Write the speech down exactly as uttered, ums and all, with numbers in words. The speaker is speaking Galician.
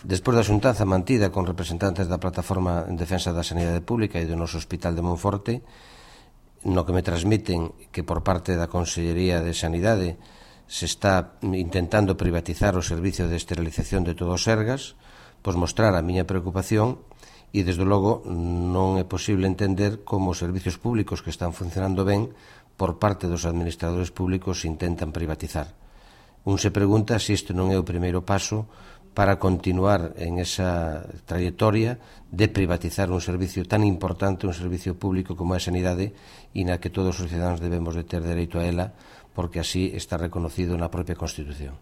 Despois da xuntanza mantida con representantes da Plataforma en Defensa da Sanidade Pública e do noso Hospital de Monforte, no que me transmiten que por parte da Consellería de Sanidade se está intentando privatizar o servicio de esterilización de todo o Sergas, pois mostrar a miña preocupación e, desde logo, non é posible entender como os servicios públicos que están funcionando ben por parte dos administradores públicos se intentan privatizar. Un se pregunta se isto non é o primeiro paso para continuar en esa trayectoria de privatizar un servicio tan importante, un servicio público como é a sanidade, e na que todos os cidadáns debemos de ter dereito a ela, porque así está reconocido na propia Constitución.